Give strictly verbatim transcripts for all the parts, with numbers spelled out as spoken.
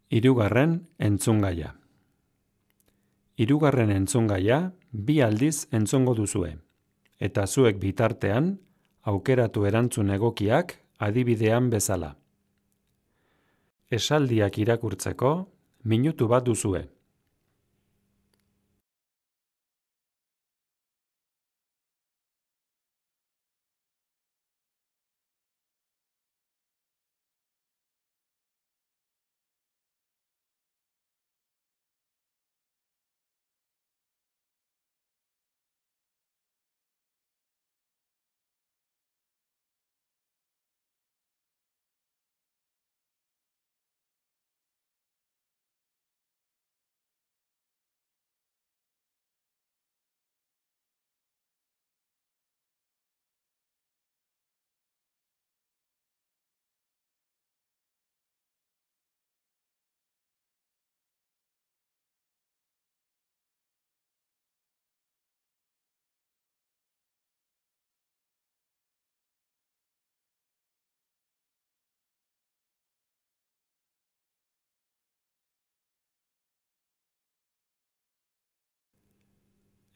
Hirugarren entzungaia. Hirugarren entzungaia bi aldiz entzungo duzue, eta zuek bitartean aukeratu erantzun egokiak adibidean bezala. Esaldiak irakurtzeko minutu bat duzue.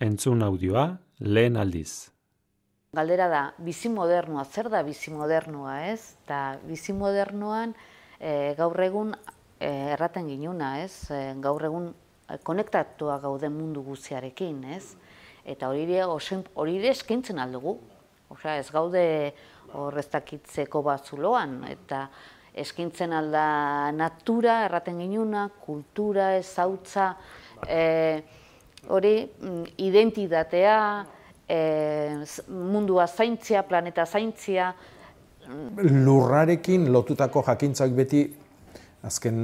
Entzun audioa lehen aldiz. Galdera da, bizi modernua, zer da bizi modernua, ez? Eta bizi modernuan e, gaur egun e, erraten ginuna, ez? E, gaur egun konektatua gaude mundu guztiarekin, ez? Eta hori ere eskaintzen aldugu. Osea, ez gaude horreztakitzeko batzuloan, eta eskaintzen alda natura, erraten ginuna, kultura, ezautza, e, hori identitatea, E, mundua zaintzia, planeta zaintzia. Lurrarekin lotutako jakintzak beti, azken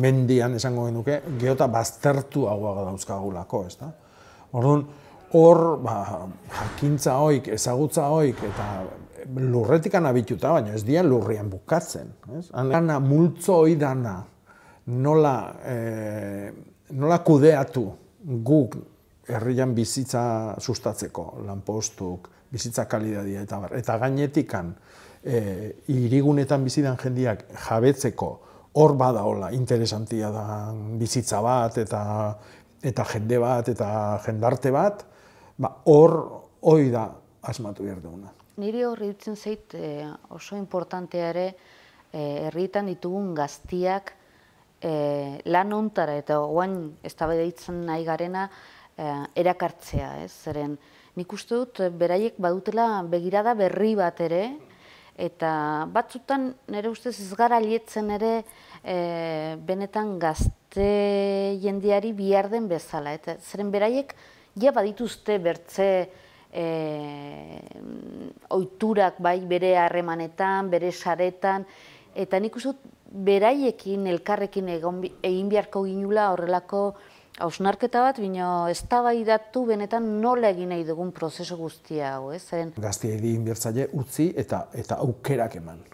mendian esango genuke, geota baztertuagoa dauzkagulako, ez da? Orduan, hor, ba, jakintza hoik, ezagutza hoik, eta lurretikan abituta, baina ez dira lurrian bukatzen. Dana, multzo hoi dana, nola, e, nola kudeatu guk herrian bizitza sustatzeko, lanpostuk, bizitza kalidadia eta bar. Eta gainetikan, e, hirigunetan bizidan jendiak jabetzeko hor badaola interesantia da bizitza bat, eta, eta jende bat, eta jendarte bat, ba, hor hoi da asmatu behar duguna. Niri horri dutzen zait e, oso importantea ere e, herrietan ditugun gaztiak e, lan hontara eta oain eztabaidatzen nahi garena erakartzea, ez? Zeren nik uste dut beraiek badutela begirada berri bat ere, eta batzutan nire ustez ez gara lietzen ere e, benetan gazte jendeari bihar den bezala. Eta zeren beraiek ja badituzte bertze e, ohiturak bai bere harremanetan, bere saretan, eta nik uste dut beraiekin elkarrekin egin beharko ginula horrelako hausnarketa bat, bino eztabaidatu benetan nola egin nahi dugun prozesu guztia hau, ez? Gaztiei egin bertzaile utzi eta eta aukerak eman.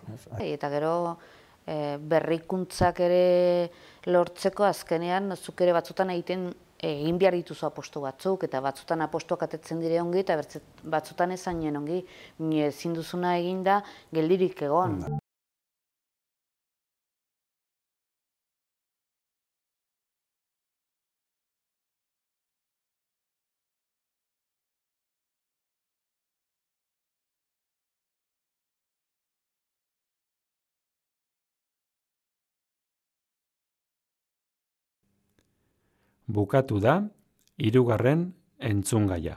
Eta gero e, berrikuntzak ere lortzeko azkenean zuk ere batzutan egiten egin behar dituzu apostu batzuk, eta batzutan apostuak atetzen dire ongi, eta batzutan ezainen ongi, ezin duzuna eginda geldirik egon. Bukatu da hirugarren entzungaia.